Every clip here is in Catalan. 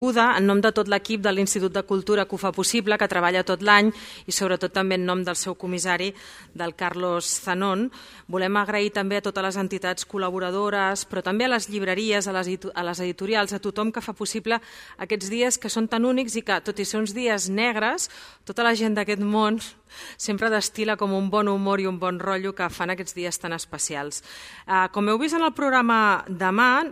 En nom de tot l'equip de l'Institut de Cultura que ho fa possible, que treballa tot l'any, i sobretot també en nom del seu comissari, del Carlos Zanon, volem agrair també a totes les entitats col·laboradores, però també a les llibreries, a les editorials, a tothom que fa possible aquests dies que són tan únics i que, tot i ser uns dies negres, tota la gent d'aquest món sempre destila com un bon humor i un bon rotllo que fan aquests dies tan especials. Com heu vist en el programa demà,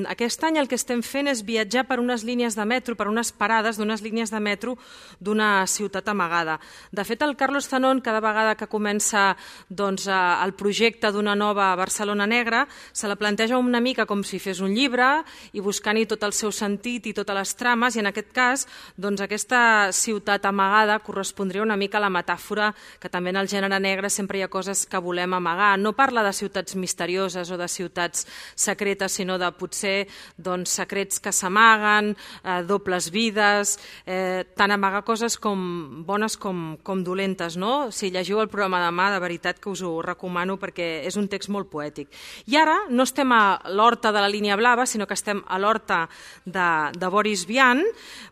aquest any el que estem fent és viatjar per unes línies de metro, per unes parades d'unes línies de metro d'una ciutat amagada. De fet, el Carlos Zanon, cada vegada que comença el projecte d'una nova Barcelona negra, se la planteja una mica com si fes un llibre i buscant-hi tot el seu sentit i totes les trames, i en aquest cas aquesta ciutat amagada correspondria una mica a la metàfora que també en el gènere negre sempre hi ha coses que volem amagar. No parla de ciutats misterioses o de ciutats secretes, sinó de potser secrets que s'amaguen, dobles vides, tant amagar coses com bones com dolentes. Si llegiu el programa demà, de veritat que us ho recomano perquè és un text molt poètic. I ara no estem a l'horta de la línia blava, sinó que estem a l'horta de Boris Vian.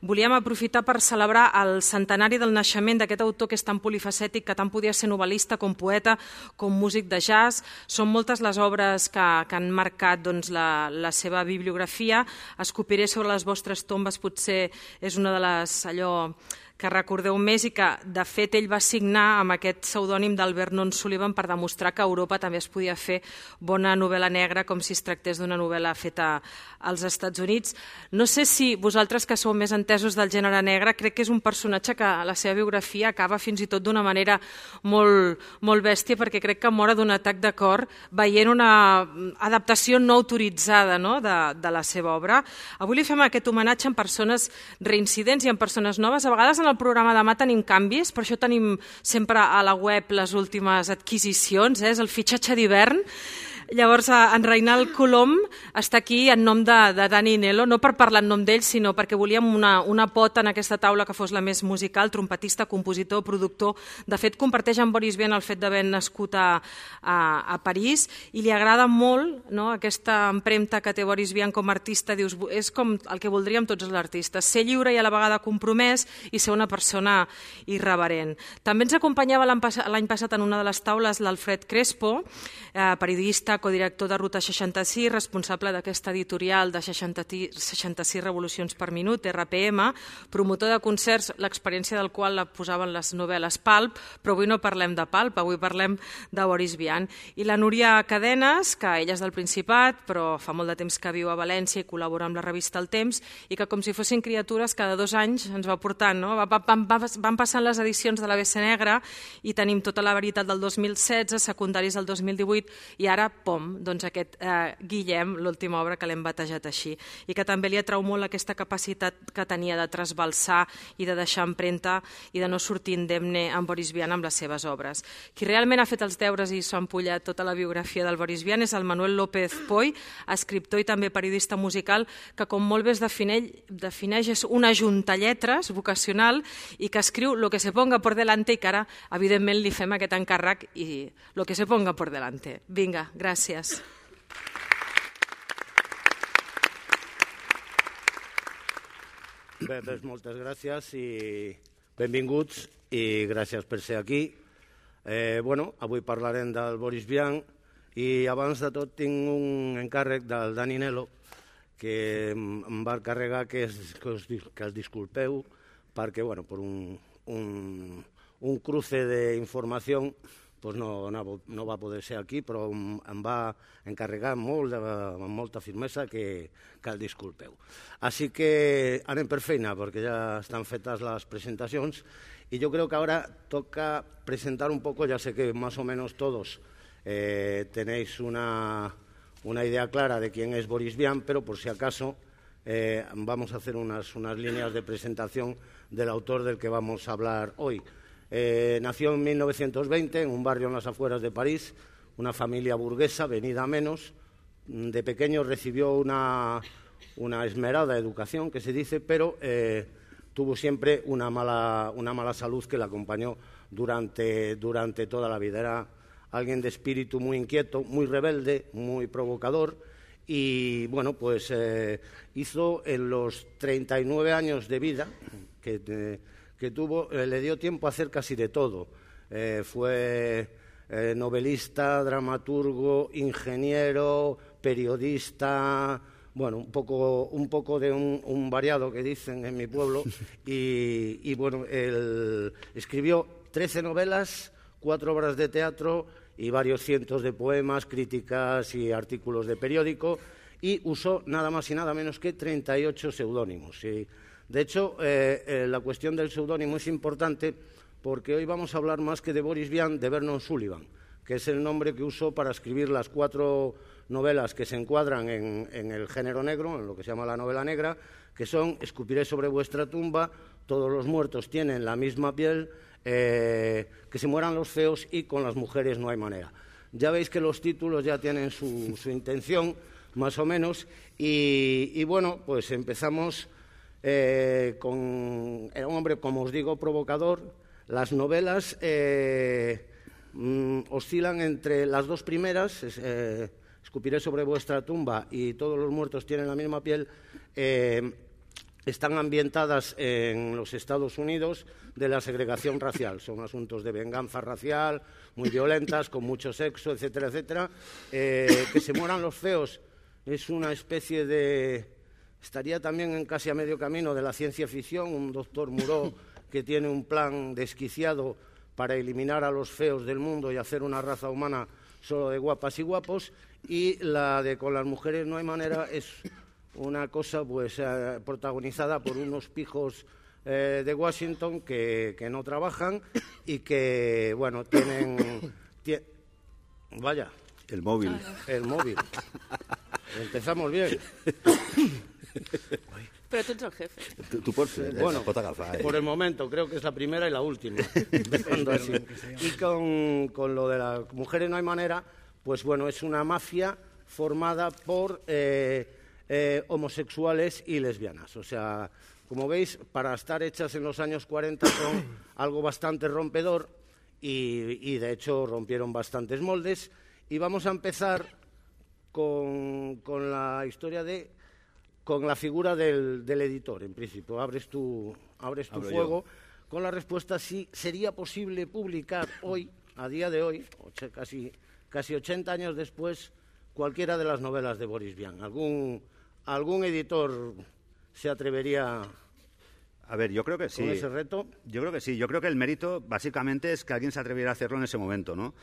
Volíem aprofitar per celebrar el centenari del naixement d'aquest autor que és tan polifacètic, que tant podia ser novel·lista com poeta, com músic de jazz. Són moltes les obres que han marcat la seva bibliografia. Escopiré sobre les vostres tombes, potser és una de les que recordeu més, i que de fet ell va signar amb aquest pseudònim d'Alvernon Sullivan per demostrar que a Europa també es podia fer bona novel·la negra com si es tractés d'una novel·la feta als Estats Units. No sé si vosaltres, que sou més entesos del gènere negre, crec que és un personatge que la seva biografia acaba fins i tot d'una manera molt bèstia, perquè crec que mor d'un atac de cor veient una adaptació no autoritzada de la seva obra. Avui li fem aquest homenatge en persones reincidents i en persones noves. A vegades en el programa demà tenim canvis, per això tenim sempre a la web les últimes adquisicions, és el fitxatge d'hivern. Llavors, en Reinald Colom està aquí en nom de Dani Nelo, no per parlar en nom d'ell, sinó perquè volíem una pota en aquesta taula que fos la més musical, trompetista, compositor, productor. De fet, comparteix amb Boris Vian el fet d'haver nascut a París i li agrada molt aquesta empremta que té Boris Vian com a artista. Dius, és com el que voldríem tots els artistes, ser lliure i a la vegada compromès i ser una persona irreverent. També ens acompanyava l'any passat en una de les taules l'Alfred Crespo, periodista, codirector de Ruta 66, responsable d'aquesta editorial de 66 revolucions per minut, RPM, promotor de concerts, l'experiència del qual la posaven les novel·les Pulp, però avui no parlem de Pulp, avui parlem de Boris Vian. I la Núria Cadenes, que ella és del Principat, però fa molt de temps que viu a València i col·labora amb la revista El Temps, i que com si fossin criatures cada 2 anys ens va portant. Van passant les edicions de l'ABC Negra i tenim tota la veritat del 2016, secundaris del 2018, i ara aquest Guillem, l'última obra que l'hem batejat així, i que també li atrau molt aquesta capacitat que tenia de trasbalsar i de deixar empremta i de no sortir indemne amb Boris Vian amb les seves obres. Qui realment ha fet els deures i s'ha empullat tota la biografia del Boris Vian és el Manuel López Poy, escriptor i també periodista musical, que com molt bé es defineix és una juntalletres vocacional i que escriu lo que se ponga por delante, i que ara evidentment li fem aquest encàrrec i lo que se ponga por delante. Vinga, gràcies. Bé, doncs moltes gràcies i benvinguts i gràcies per ser aquí. Avui parlarem del Boris Vian i abans de tot tinc un encàrrec del Dani Nelo que em va encarregar que els disculpeu perquè per un cruce d'informació no va poder ser aquí, però em va encarregar amb molta firmesa que el disculpeu. Així que anem per feina, perquè ja estan fetes les presentacions, y yo creo que ahora toca presentar un poco, ya sé que más o menos todos tenéis una idea clara de quién es Boris Vian, pero por si acaso vamos a hacer unas líneas de presentación del autor del que vamos a hablar hoy. Nació en 1920 en un barrio en las afueras de París, una familia burguesa venida a menos. De pequeño recibió una esmerada educación, que se dice, pero tuvo siempre una mala salud que la acompañó durante toda la vida. Era alguien de espíritu muy inquieto, muy rebelde, muy provocador y bueno, pues hizo en los 39 años de vida que tuvo, le dio tiempo a hacer casi de todo. Fue novelista, dramaturgo, ingeniero, periodista, bueno, un poco de un variado que dicen en mi pueblo, y bueno, él escribió 13 novelas, 4 obras de teatro y varios cientos de poemas, críticas y artículos de periódico, y usó nada más y nada menos que 38 seudónimos. Y, de hecho, la cuestión del seudónimo es importante porque hoy vamos a hablar más que de Boris Vian, de Vernon Sullivan, que es el nombre que usó para escribir las 4 novelas que se encuadran en el género negro, en lo que se llama la novela negra, que son Escupiré sobre vuestra tumba, Todos los muertos tienen la misma piel, Que se mueran los feos y Con las mujeres no hay manera. Ya veis que los títulos ya tienen su intención, más o menos, y bueno, pues empezamos con... Era un hombre, como os digo, provocador. Las novelas oscilan entre las 2 primeras, Escupiré sobre vuestra tumba y Todos los muertos tienen la misma piel, están ambientadas en los Estados Unidos de la segregación racial. Son asuntos de venganza racial, muy violentas, con mucho sexo, etcétera, etcétera. Que se mueran los feos es una especie de... Estaría también casi a medio camino de la ciencia ficción, un doctor Moreau que tiene un plan desquiciado para eliminar a los feos del mundo y hacer una raza humana solo de guapas y guapos, y la de Con las mujeres no hay manera es una cosa pues protagonizada por unos pijos de Washington que no trabajan y que, bueno, tienen... Vaya. El móvil. El móvil. Empezamos bien. Pero tú eres el jefe. Tú por fin. Bueno, por el momento, creo que es la primera y la última. Así. Y con lo de las mujeres no hay manera, pues bueno, es una mafia formada por homosexuales y lesbianas. O sea, como veis, para estar hechas en los años 40 son algo bastante rompedor y de hecho rompieron bastantes moldes. Y vamos a empezar con la historia con la figura del editor, en principio. Abres tu fuego con la respuesta si sería posible publicar hoy, a día de hoy, casi 80 años después, cualquiera de las novelas de Boris Vian. ¿Algún editor se atrevería a ver, yo creo que sí. con ese reto? Yo creo que sí. Yo creo que el mérito básicamente es que alguien se atreviera a hacerlo en ese momento, ¿no?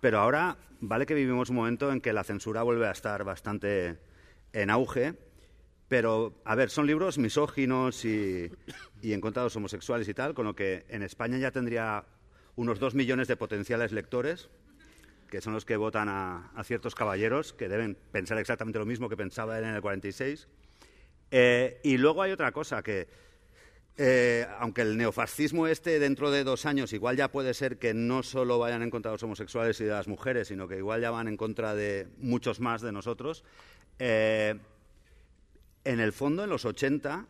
Pero ahora vale que vivimos un momento en que la censura vuelve a estar bastante en auge. Pero, a ver, son libros misóginos y en contra de los homosexuales y tal, con lo que en España ya tendría unos 2 millones de potenciales lectores, que son los que votan a ciertos caballeros, que deben pensar exactamente lo mismo que pensaba él en el 46. Y luego hay otra cosa, que aunque el neofascismo dentro de 2 años igual ya puede ser que no solo vayan en contra de los homosexuales y de las mujeres, sino que igual ya van en contra de muchos más de nosotros, en el fondo, en los 80,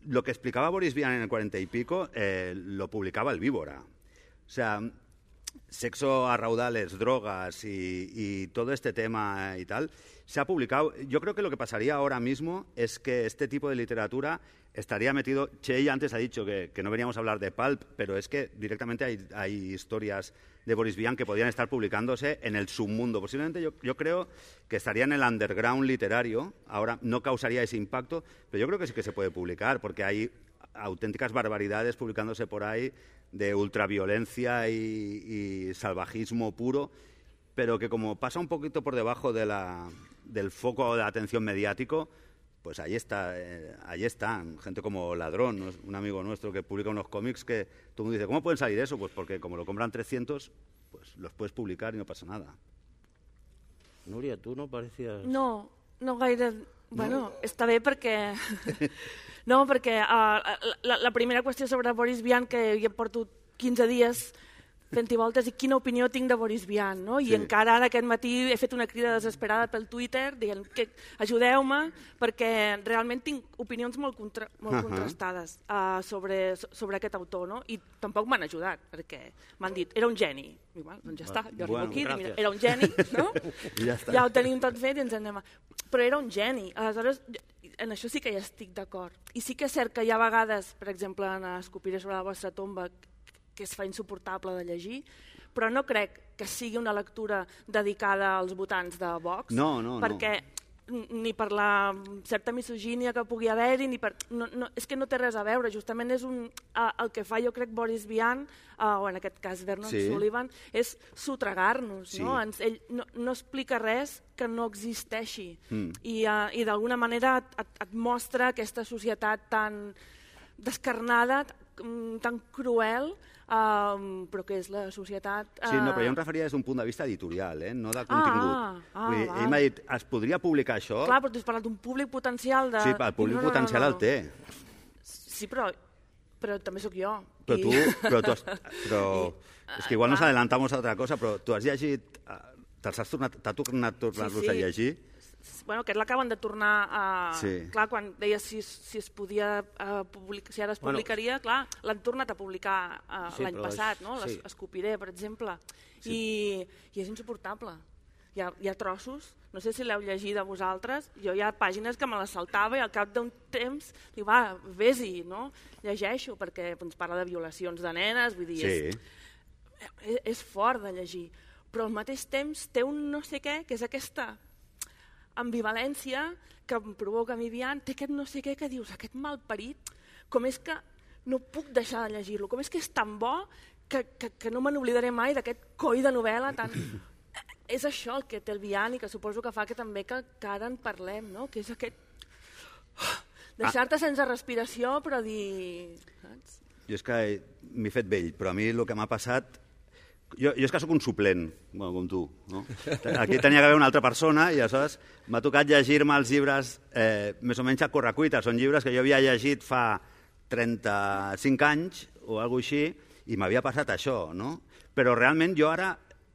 lo que explicaba Boris Vian en el 40 y pico, lo publicaba el Víbora. O sea, sexo a raudales, drogas y todo este tema y tal, se ha publicado. Yo creo que lo que pasaría ahora mismo es que este tipo de literatura estaría metido... Chey antes ha dicho que no veníamos a hablar de pulp, pero es que directamente hay historias de Boris Vian que podrían estar publicándose en el submundo. Posiblemente yo creo que estaría en el underground literario. Ahora no causaría ese impacto, pero yo creo que sí que se puede publicar, porque hay auténticas barbaridades publicándose por ahí de ultraviolencia y salvajismo puro, pero que como pasa un poquito por debajo del foco de atención mediático, pues ahí están. Gente como Ladrón, un amigo nuestro que publica unos cómics que todo el mundo dice, ¿cómo pueden salir eso? Pues porque como lo compran 300, pues los puedes publicar y no pasa nada. Núria, tu no parecías... No gaire... Bueno, està bé perquè... No, perquè la primera qüestió sobre Boris Vian, que jo porto 15 dies fent-hi voltes i quina opinió tinc de Boris Vian, no? I encara ara aquest matí he fet una crida desesperada pel Twitter dient que ajudeu-me perquè realment tinc opinions molt contrastades sobre aquest autor, no? I tampoc m'han ajudat perquè m'han dit, era un geni. Igual, doncs ja està, jo arribo aquí, mira, era un geni, no? Ja ho tenim tot fet i ens anem a... Però era un geni, aleshores en això sí que hi estic d'acord. I sí que és cert que hi ha vegades, per exemple, en Escopiré sobre la vostra tomba, que es fa insuportable de llegir, però no crec que sigui una lectura dedicada als votants de Vox, perquè ni per la certa misogínia que pugui haver-hi, ni per... és que no té res a veure, justament és el que fa, jo crec, Boris Vian, o en aquest cas Vernon Sullivan, és sotregar-nos, no? Ell no explica res que no existeixi, i d'alguna manera et mostra aquesta societat tan descarnada, tan cruel, però que és la societat... Sí, no, però jo em referia des d'un punt de vista editorial, no de contingut. Ell m'ha dit, es podria publicar això? Clar, però tu has parlat d'un públic potencial de... Sí, el públic potencial el té. Sí, però també sóc jo. Però és que igual nos adelantamos a otra cosa, però tu has llegit... T'ha tornat a tornar-los a llegir? Bueno, aquest l'acaben de tornar a... Clar, quan deia si es podia publicar, si ara es publicaria, clar, l'han tornat a publicar l'any passat, no? Escopiré, per exemple. I és insuportable. Hi ha trossos, no sé si l'heu llegit a vosaltres, jo hi ha pàgines que me les saltava i al cap d'un temps dic, va, vés-hi, no? Llegeixo, perquè ens parla de violacions de nenes, vull dir, és fort de llegir. Però al mateix temps té un no sé què, que és aquesta ambivalència que em provoca a mi Vian, té aquest no sé què que dius, aquest malparit, com és que no puc deixar de llegir-lo, com és que és tan bo que no me n'oblidaré mai d'aquest coi de novel·la tan... És això el que té el Vian i que suposo que fa que també que ara en parlem, no? Que és aquest... deixar-te sense respiració però dir... Saps? Jo és que m'he fet vell, però a mi el que m'ha passat... Jo és que sóc un suplent, com tu. No? Aquí tenia que haver una altra persona i aleshores m'ha tocat llegir-me els llibres més o menys a correcuita. Són llibres que jo havia llegit fa 35 anys o alguna cosa així i m'havia passat això. No? Però realment jo ara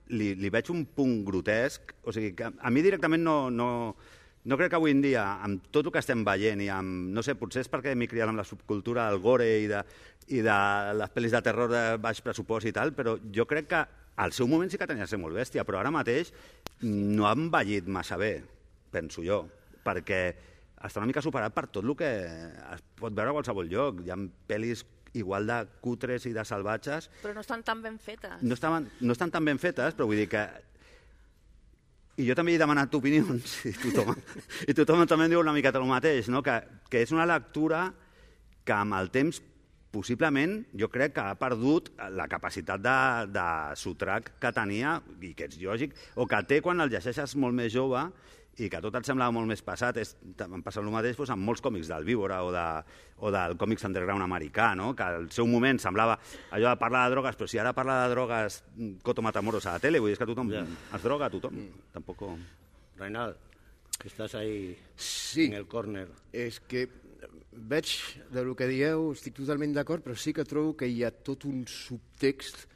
li veig un punt grotesc. O sigui, que a mi directament no crec que avui en dia, amb tot el que estem veient i amb, no sé, potser és perquè m'he criat amb la subcultura del gore i de les pel·lis de terror de baix pressupost i tal, però jo crec que al seu moment sí que tenia de ser molt bèstia, però ara mateix no ha envellit massa bé, penso jo, perquè està una mica superat per tot el que es pot veure a qualsevol lloc. Hi ha pel·lis igual de cutres i de salvatges... Però no estan tan ben fetes. No estan tan ben fetes, però vull dir que... I jo també he demanat opinions, i tothom també em diu una miqueta el mateix, no? Que és una lectura que amb el temps possiblement jo crec que ha perdut la capacitat de sotrac que tenia, i que és lògic, o que té quan el llegeixes molt més jove i que tot et semblava molt més passat. Em passa el mateix amb molts còmics del Víbora o del còmics underground americà, no? Que al seu moment semblava allò de parlar de drogues, però si ara parla de drogues Coto Matamoros a la tele, vull dir, és que tothom es droga, tothom. Tampoc... Reinald, que estàs ahí en el córner. És que veig del que dieu, estic totalment d'acord, però sí que trobo que hi ha tot un subtext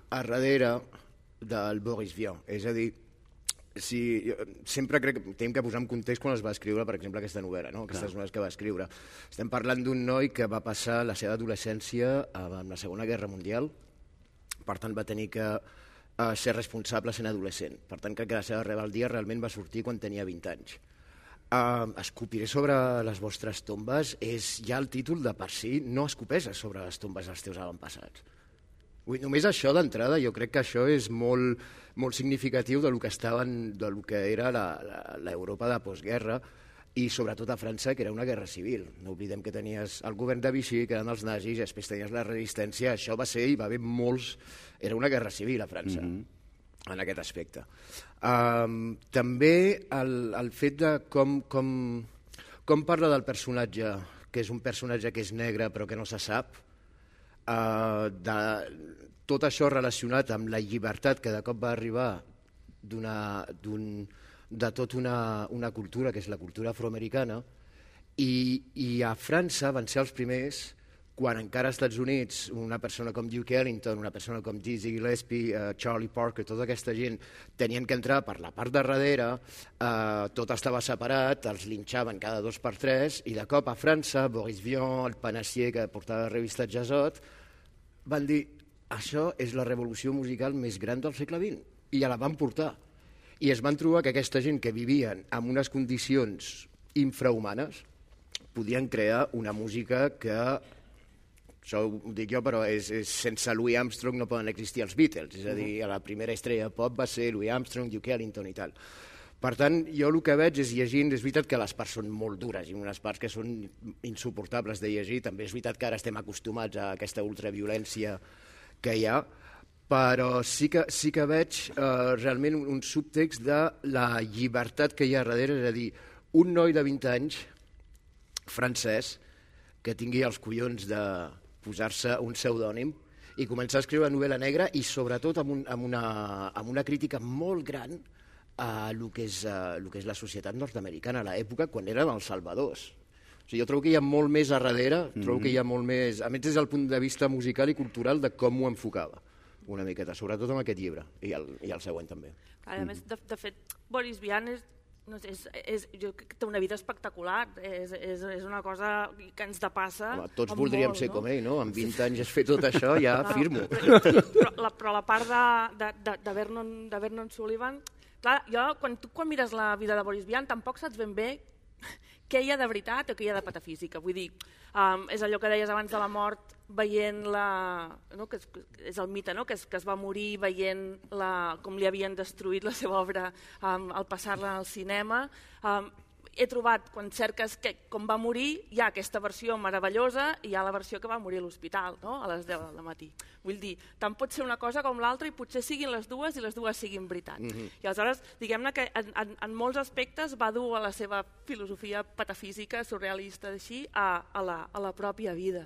a darrere del Boris Vian. És a dir, sempre crec que hem que posar en context quan es va escriure, per exemple, aquesta novel·la, no? Aquestes novel·les que va escriure. Estem parlant d'un noi que va passar la seva adolescència en la Segona Guerra Mundial, per tant va tenir que ser responsable sent adolescent. Per tant, crec que la seva rebel·lia realment va sortir quan tenia 20 anys. Escopiré sobre les vostres tombes és ja el títol de per si, no escopeixes sobre les tombes dels teus avantpassats. Només això d'entrada, jo crec que això és molt significatiu del que era l'Europa de postguerra i sobretot a França, que era una guerra civil. No oblidem que tenies el govern de Vichy, que eren els nazis, i després tenies la resistència. Això va ser, i va haver molts... Era una guerra civil a França, en aquest aspecte. També el fet de com parla del personatge, que és un personatge que és negre però que no se sap, tot això relacionat amb la llibertat que de cop va arribar de tota una cultura, que és la cultura afroamericana, i a França van ser els primers quan encara als Estats Units una persona com Duke Ellington, una persona com Dizzy Gillespie, Charlie Parker, tota aquesta gent tenien que entrar per la part de darrere, tot estava separat, els linxaven cada 2 per 3 i de cop a França, Boris Vian, el panassier que portava la revista Jazzot, van dir, això és la revolució musical més gran del segle XX, i ja la van portar. I es van trobar que aquesta gent que vivien en unes condicions infrahumanes podien crear una música que, això ho dic jo, però sense Louis Armstrong no poden existir els Beatles, és a dir, la primera estrella pop va ser Louis Armstrong, Duke Ellington i tal. Per tant, jo el que veig és llegint, és veritat que les parts són molt dures i unes parts que són insuportables de llegir, també és veritat que ara estem acostumats a aquesta ultraviolència que hi ha, però sí que veig realment un subtext de la llibertat que hi ha darrere, és a dir, un noi de 20 anys, francès, que tingui els collons de posar-se un pseudònim i començar a escriure novel·la negra i sobretot amb una crítica molt gran a el que és la societat nord-americana a l'època quan eren els salvadors. O sigui, jo trobo que hi ha molt més a darrere, trobo que hi ha molt més, a més des del punt de vista musical i cultural de com ho enfocava una miqueta, sobretot amb aquest llibre i el següent també. A més, de fet, Boris Vian jo crec que té una vida espectacular, és una cosa que ens depassa. Home, tots voldríem ser com ell, no? Amb 20 anys has fet tot això, ja firmo. Però la part de Vernon Sullivan, clar, quan mires la vida de Boris Vian tampoc saps ben bé què hi ha de veritat o què hi ha de patafísica. Vull dir, és allò que deies abans de la mort, veient que és el mite, que es va morir veient com li havien destruït la seva obra al passar-la al cinema. He trobat, quan cerques com va morir, hi ha aquesta versió meravellosa i hi ha la versió que va morir a l'hospital, a les 10 del matí. Vull dir, tant pot ser una cosa com l'altra i potser siguin les dues i les dues siguin veritat. I aleshores, diguem-ne que en molts aspectes va dur a la seva filosofia patafísica, surrealista, així, a la pròpia vida.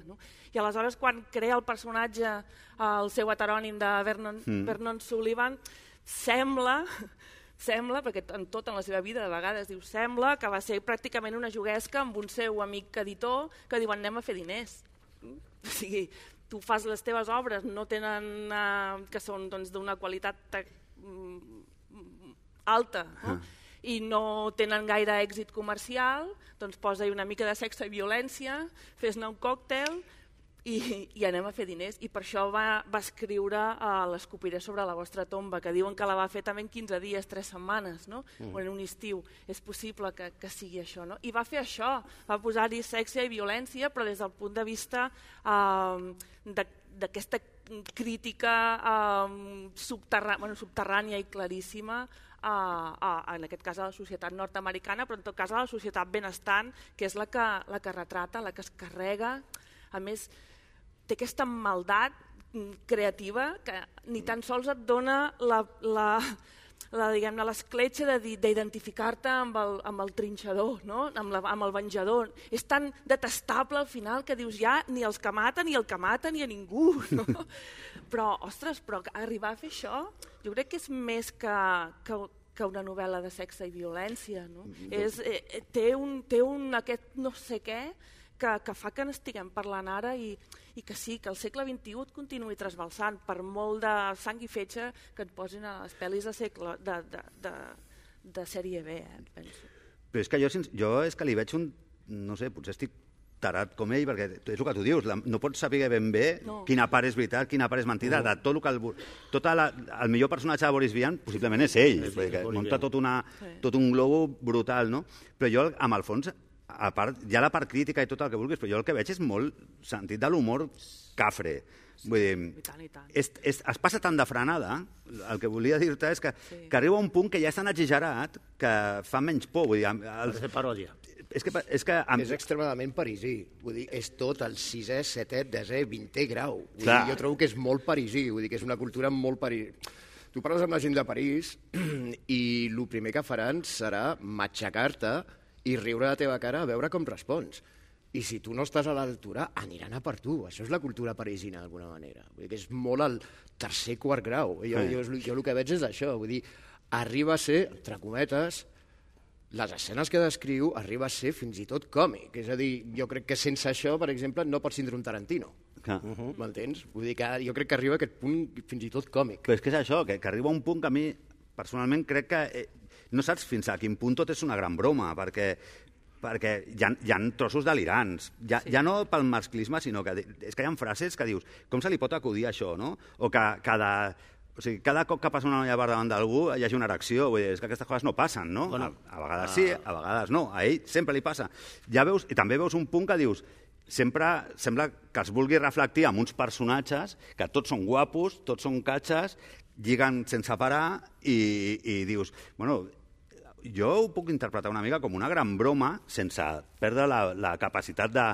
I aleshores, quan crea el personatge, el seu heterònim de Vernon Sullivan, sembla, perquè en tota la seva vida de vegades diu sembla que va ser pràcticament una juguesca amb un seu amic editor que diuen anem a fer diners. O sigui, tu fas les teves obres, no tenen, que són d'una qualitat alta i no tenen gaire èxit comercial, doncs posa-hi una mica de sexe i violència, fes-ne un còctel i anem a fer diners. I per això va escriure l'Escopiré sobre la vostra tomba, que diuen que la va fer també en 15 dies, 3 setmanes, o en un estiu. És possible que sigui això. I va fer això, va posar-hi sexe i violència, però des del punt de vista d'aquesta crítica subterrània i claríssima en aquest cas a la societat nord-americana, però en tot cas a la societat benestant, que és la que retrata, la que es carrega. A més, té aquesta maldat creativa que ni tan sols et dona l'escletxa d'identificar-te amb el trinxador, amb el venjador. És tan detestable al final que dius ja ni els que maten ni el que mata ni a ningú. Però, ostres, arribar a fer això jo crec que és més que una novel·la de sexe i violència. Té un aquest no sé què que fa que n'estiguem parlant ara i que sí, que el segle XXI et continuï trasbalsant per molt de sang i fetge que et posin a les pel·lis de sèrie B, penso. Però és que jo és que li veig un, no sé, potser estic tarat com ell, perquè és el que tu dius, no pots saber ben bé quina part és veritat, quina part és mentida, de tot el millor personatge de Boris Vian possiblement és ell, perquè munta tot un globo brutal, no? Però jo, amb el fons, a part, hi ha la part crítica i tot el que vulguis, però jo el que veig és molt sentit de l'humor cafre. Vull dir, es passa tan de frenada, el que volia dir-te és que arriba a un punt que ja és tan exagerat que fa menys por. Vull dir, és paròdia. És extremadament parisí, vull dir, és tot el 6è, 7è, 10è, 20è grau. Jo trobo que és molt parisí, vull dir que és una cultura molt parisí. Tu parles amb la gent de París i el primer que faran serà matxacar-te i riure a la teva cara a veure com respons. I si tu no estàs a l'altura, aniran a per tu. Això és la cultura parisina, d'alguna manera. Vull dir que és molt al tercer, quart grau. Jo el que veig és això. Vull dir, arriba a ser, entre cometes, les escenes que descriu arriba a ser fins i tot còmic. És a dir, jo crec que sense això, per exemple, no pots tindre un Tarantino. M'entens? Vull dir que jo crec que arriba a aquest punt fins i tot còmic. Però és que és això, que arriba a un punt que a mi, personalment, crec que no saps fins a quin punt tot és una gran broma, perquè hi ha trossos delirants. Ja no pel masclisme, sinó que és que hi ha frases que dius, com se li pot acudir això, no? O que cada cop que passa una noia per davant d'algú hi hagi una erecció, vull dir, és que aquestes coses no passen, no? Bueno, a vegades sí, a vegades no, a ell sempre li passa. Ja veus, i també veus un punt que dius, sempre sembla que es vulgui reflectir amb uns personatges que tots són guapos, tots són catxes, lliguen sense parar i dius, bueno, jo ho puc interpretar una mica com una gran broma sense perdre la capacitat de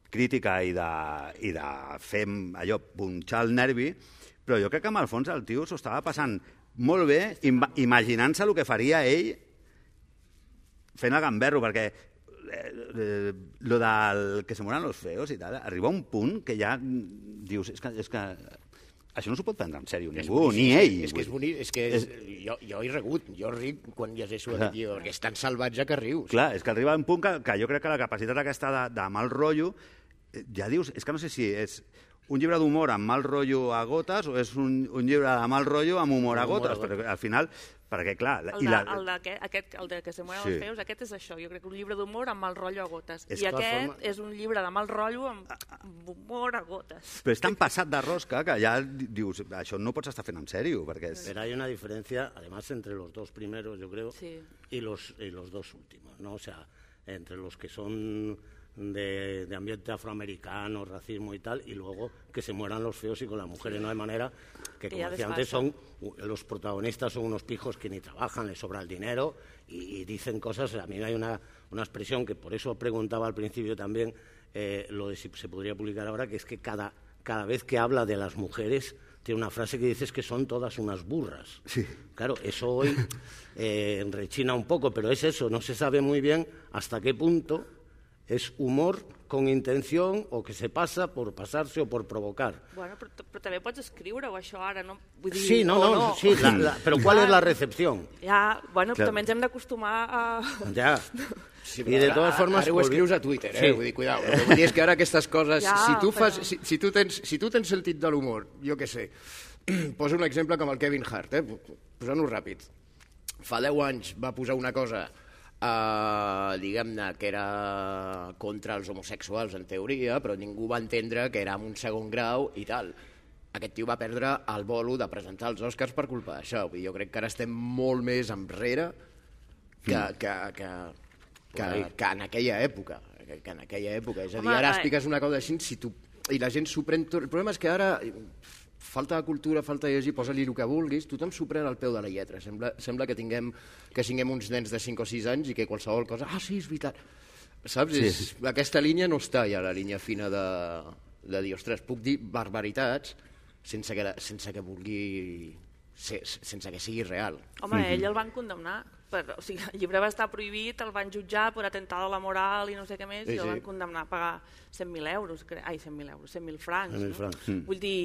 crítica i de fer allò, punxar el nervi, però jo crec que amb el fons el tio s'ho estava passant molt bé imaginant-se el que faria ell fent el gamberro, perquè lo del que se mueran los feos i tal, arriba a un punt que ja dius, és que això no s'ho pot prendre en sèrio ningú, ni ell. És que és bonic, és que jo he regut, jo ric quan llegeixo aquest llibre, perquè és tan salvatge que rius. Clar, és que arriba a un punt que jo crec que la capacitat aquesta de mal rotllo, ja dius, és que no sé si és un llibre d'humor amb mal rotllo a gotes o és un llibre de mal rotllo amb humor a gotes, però al final, perquè clar... El de que se mueren els feus, aquest és això, jo crec que un llibre d'humor amb mal rotllo a gotes. I aquest és un llibre de mal rotllo amb humor a gotes. Però és tan passat de rosca que ja dius, això no pots estar fent en sèrio, perquè és... Pero hay una diferencia, además, entre los dos primeros, yo creo, y los dos últimos, ¿no? O sea, entre los que son de ambiente afroamericano, racismo y tal, y luego que se mueran los feos y con las mujeres no hay manera, que como decía antes, los protagonistas son unos pijos que ni trabajan, les sobra el dinero y dicen cosas. A mí hay una expresión que por eso preguntaba al principio también, lo de si se podría publicar ahora, que es que cada vez que habla de las mujeres tiene una frase que dices que son todas unas burras. Sí. Claro, eso hoy rechina un poco, pero es eso, no se sabe muy bien hasta qué punto és humor con intención o que se passa por passar-se o por provocar. Bueno, però també pots escriure-ho, això ara, no? Vull dir, sí, sí, però ¿cuál es la recepción? Ja, bueno, també ens hem d'acostumar a... Ja, sí, i de totes formes... Ara ho escrius a Twitter, vull dir, cuidao. El que vull dir és que ara aquestes coses... Si tu tens sentit de l'humor, jo què sé, poso un exemple com el Kevin Hart, posant-ho ràpid. Fa 10 anys va posar una cosa... diguem-ne que era contra els homosexuals en teoria, però ningú va entendre que era en un segon grau i tal. Aquest tio va perdre el bolo de presentar els Oscars per culpa d'això. Jo crec que ara estem molt més enrere que en aquella època. És a dir, ara expliques una cosa així i la gent s'ho pren tot. El problema és que ara falta de cultura, falta de llegir, posa-li el que vulguis, tothom s'ho pren al peu de la lletra. Sembla que tinguem uns nens de 5 o 6 anys i que qualsevol cosa... Ah, sí, és veritat. Saps? Sí. Aquesta línia no està ja, la línia fina de dir, ostres, puc dir barbaritats sense que vulgui... sense que sigui real. Home, ell el van condemnar. O sigui, el llibre va estar prohibit, el van jutjar per atemptar a la moral i no sé què més, i el van condemnar a pagar 100.000 euros, 100.000 francs. 100.000 francs. Vull dir...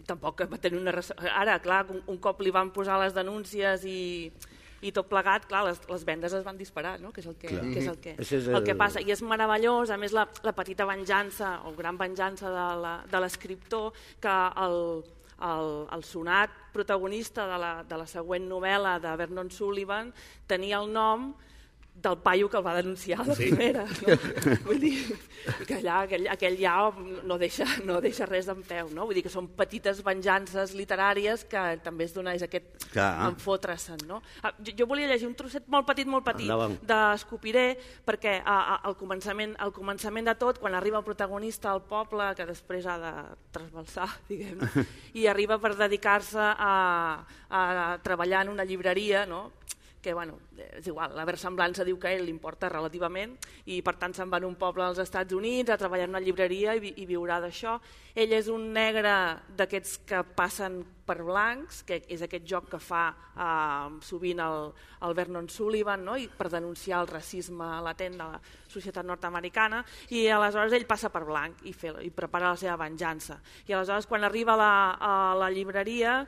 tampoc va tenir una... Ara, clar, un cop li van posar les denúncies i tot plegat, clar, les vendes es van disparar, no? Que és el que passa. I és meravellós, a més, la petita venjança, o gran venjança de l'escriptor, que el sonat protagonista de la següent novel·la de Vernon Sullivan tenia el nom del paio que el va denunciar a la primera. No? Vull dir que aquell ja no deixa res en peu. No? Vull dir que són petites venjances literàries que també es dona aquest enfotre-se'n. No? Jo volia llegir un trosset molt petit d'Escopiré, perquè al començament de tot, quan arriba el protagonista al poble, que després ha de trasbalsar, diguem, i arriba per dedicar-se a treballar en una llibreria, no? Que bueno, és igual, la versemblança diu que a ell li importa relativament i per tant se'n va a un poble als Estats Units a treballar en una llibreria i viurà d'això. Ell és un negre d'aquests que passen per blancs, que és aquest joc que fa sovint el Vernon Sullivan, no? I per denunciar el racisme latent de la societat nord-americana, i aleshores ell passa per blanc i prepara la seva venjança. I aleshores quan arriba a la llibreria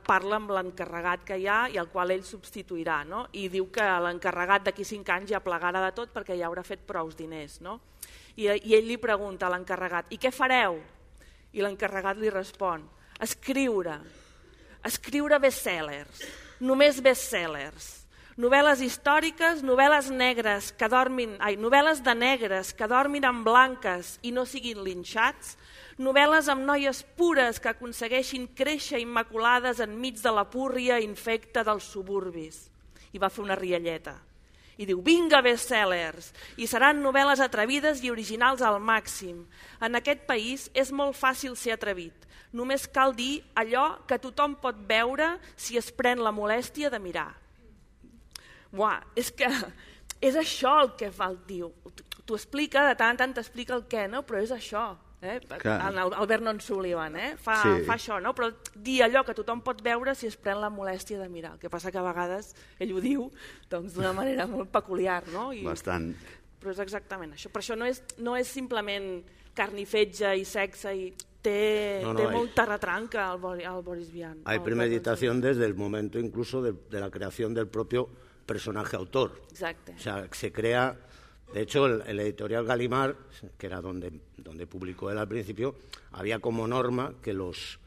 parla amb l'encarregat que hi ha i el qual ell substituirà, no? I diu que l'encarregat d'aquí 5 anys ja plegarà de tot perquè ja haurà fet prous diners, no? I ell li pregunta a l'encarregat: i què fareu? I l'encarregat li respon: escriure bestsellers, només bestsellers, novel·les històriques, novel·les novel·les de negres que dormin amb blanques i no siguin linxats, novel·les amb noies pures que aconsegueixin créixer immaculades enmig de la púrria infecta dels suburbis. I va fer una rialleta. I diu: vinga bestsellers, i seran novel·les atrevides i originals al màxim. En aquest país és molt fàcil ser atrevit. Només cal dir allò que tothom pot veure si es pren la molèstia de mirar. Buah, és que és això el que fa el tio. T'ho explica, de tant en tant t'explica el què, no? Però és això. El Vernon Sullivan fa això, no? Però dir allò que tothom pot veure si es pren la molèstia de mirar. El que passa que a vegades ell ho diu d'una manera molt peculiar, no? Bastant. Però és exactament això. Per això no és simplement carn i fetge i sexe, i té molta retranca al Boris Vian. Hay premeditación desde el momento incluso de la creación del propio personaje autor. Exacto. O sea, se crea. De hecho, el editorial Gallimard, que era donde publicó él al principio, había como norma que los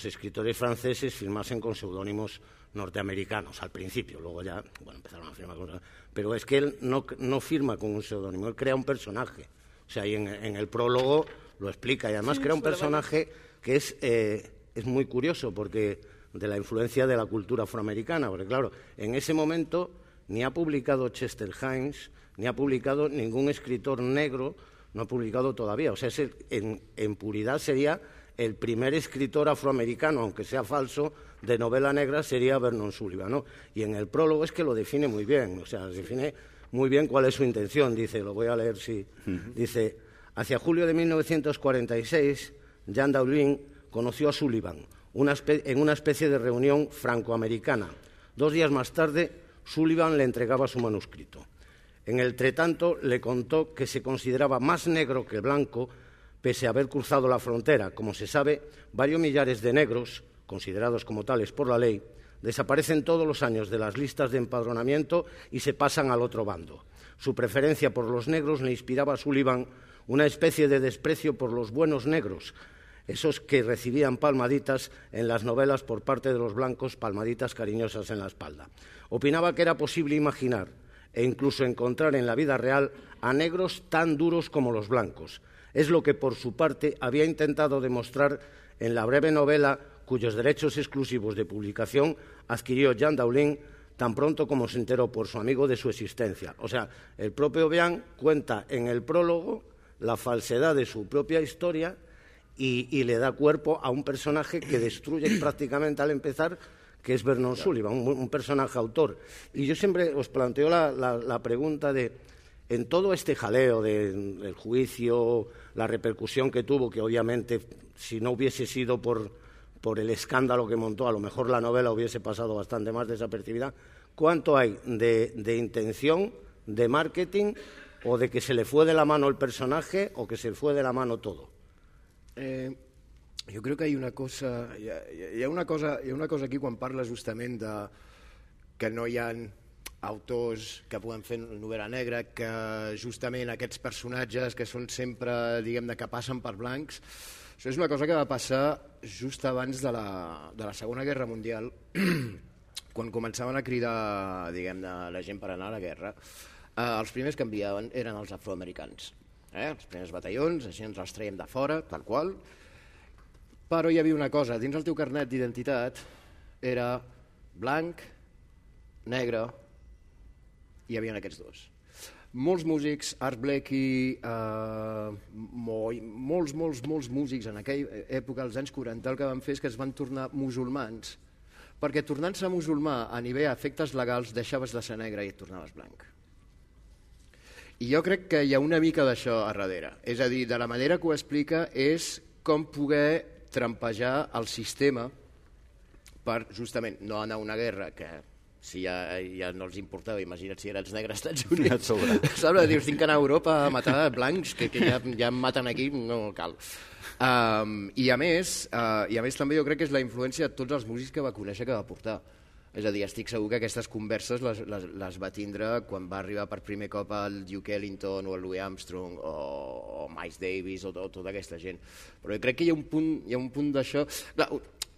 escritores franceses firmasen con seudónimos norteamericanos al principio. Luego ya empezaron a firmar con... Pero es que él no firma con un seudónimo, él crea un personaje. O sea, y en el prólogo lo explica. Y además crea un personaje que es muy curioso, porque de la influencia de la cultura afroamericana. Porque claro, en ese momento ni ha publicado Chester Himes, ni ha publicado ningún escritor negro, no ha publicado todavía. O sea, en puridad sería el primer escritor afroamericano, aunque sea falso, de novela negra, sería Vernon Sullivan, ¿no? Y en el prólogo es que lo define muy bien, o sea, define muy bien cuál es su intención. Dice, lo voy a leer, sí. Dice: hacia julio de 1946, Jean Dowling conoció a Sullivan en una especie de reunión francoamericana. 2 días más tarde, Sullivan le entregaba su manuscrito. En el entretanto, le contó que se consideraba más negro que blanco, pese a haber cruzado la frontera. Como se sabe, varios millares de negros, considerados como tales por la ley, desaparecen todos los años de las listas de empadronamiento y se pasan al otro bando. Su preferencia por los negros le inspiraba a Sullivan una especie de desprecio por los buenos negros, esos que recibían palmaditas en las novelas por parte de los blancos, palmaditas cariñosas en la espalda. Opinaba que era posible imaginar e incluso encontrar en la vida real a negros tan duros como los blancos. Es lo que, por su parte, había intentado demostrar en la breve novela cuyos derechos exclusivos de publicación adquirió Jean Dowling tan pronto como se enteró por su amigo de su existencia. O sea, el propio Vian cuenta en el prólogo la falsedad de su propia historia y le da cuerpo a un personaje que destruye prácticamente al empezar, que es Vernon Sullivan, un personaje autor. Y yo siempre os planteo la pregunta de, en todo este jaleo del juicio, la repercusión que tuvo, que obviamente si no hubiese sido por el escándalo que montó, a lo mejor la novela hubiese pasado bastante más desapercibida, ¿cuánto hay de intención, de marketing, o de que se le fue de la mano el personaje o que se le fue de la mano todo? Jo crec que hi ha una cosa aquí quan parla justament de que no hi ha autors que puguen fer novel·la negra, que justament aquests personatges que són sempre, diguem-ne, que passen per blancs. Això és una cosa que va passar just abans de la Segona Guerra Mundial, quan començaven a cridar, diguem-ne, la gent per anar a la guerra. Els primers que enviaven eren els afroamericans. Els primers batallons, així ens els traiem de fora, tal qual. Però hi havia una cosa, dins el teu carnet d'identitat era blanc, negre, hi havia aquests dos. Molts músics, Art Blakey, molts músics en aquella època, als anys 40, el que van fer és que es van tornar musulmans, perquè tornant-se musulmà a nivell d'efectes legals deixaves de ser negre i et tornaves blanc. I jo crec que hi ha una mica d'això a darrere. És a dir, de la manera que ho explica és com poder trampejar el sistema per justament no anar a una guerra que si ja no els importava, imagina't si eren els negres als Estats Units. Saps? Dius, tinc que anar a Europa a matar blancs, que ja em maten aquí, no cal. I a més també jo crec que és la influència de tots els músics que va conèixer, que va portar. És a dir, estic segur que aquestes converses les va tindre quan va arribar per primer cop el Duke Ellington o el Louis Armstrong o Miles Davis o tota aquesta gent. Però jo crec que hi ha un punt d'això...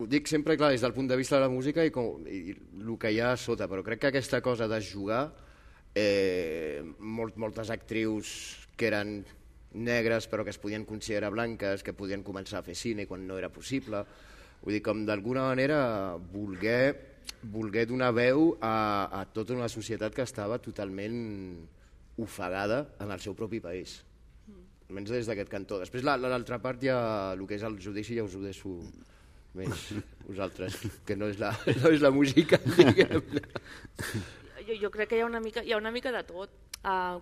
Ho dic sempre, clar, des del punt de vista de la música i el que hi ha a sota, però crec que aquesta cosa de jugar, moltes actrius que eren negres però que es podien considerar blanques, que podien començar a fer cine quan no era possible, vull dir, com d'alguna manera voler donar veu a tota una societat que estava totalment ofegada en el seu propi país, almenys des d'aquest cantó. Després l'altra part, ja el que és el judici, ja us ho deixo més vosaltres, que no és la música, diguem-ne. Jo crec que hi ha una mica de tot.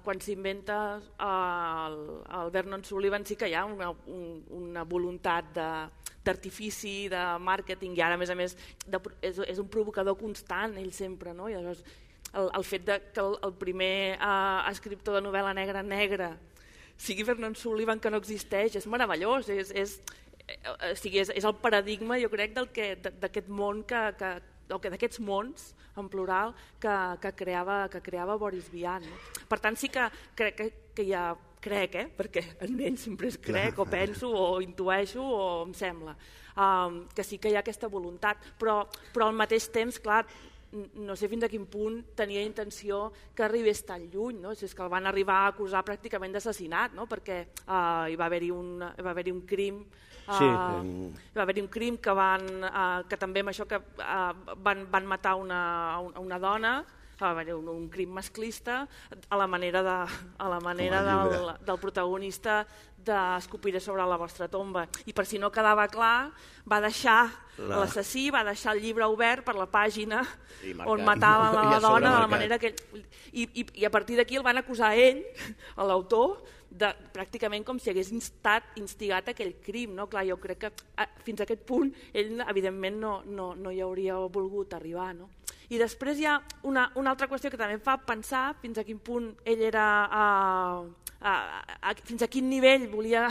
Quan s'inventa el Vernon Sullivan sí que hi ha una voluntat d'artifici, de màrqueting, i ara a més és un provocador constant, ell sempre, no? I llavors el fet que el primer escriptor de novel·la negra sigui Vernon Sullivan, que no existeix, és meravellós, és el paradigma, jo crec, d'aquest món d'aquests mons en plural que creava Boris Vian. Per tant, sí que crec que hi ha, perquè en ell sempre es crec o penso o intueixo o em sembla que sí que hi ha aquesta voluntat, però al mateix temps, clar, no sé fins a quin punt tenia intenció que arribés tan lluny, no? És que el van arribar a acusar pràcticament d'assassinat, no? Perquè hi va haver-hi un crim, va haver-hi un crim que també amb això que van matar una dona, va haver un crim masclista a la manera del protagonista d'Escopiré sobre la vostra tomba. I per si no quedava clar, l'assassí va deixar el llibre obert per la pàgina on matava la dona de la manera que... I a partir d'aquí el van acusar a ell, a l'autor, pràcticament com si hagués instigat aquell crim. Clar, jo crec que fins a aquest punt ell evidentment no hi hauria volgut arribar. I després hi ha una altra qüestió que també em fa pensar fins a quin punt ell era... fins a quin nivell volia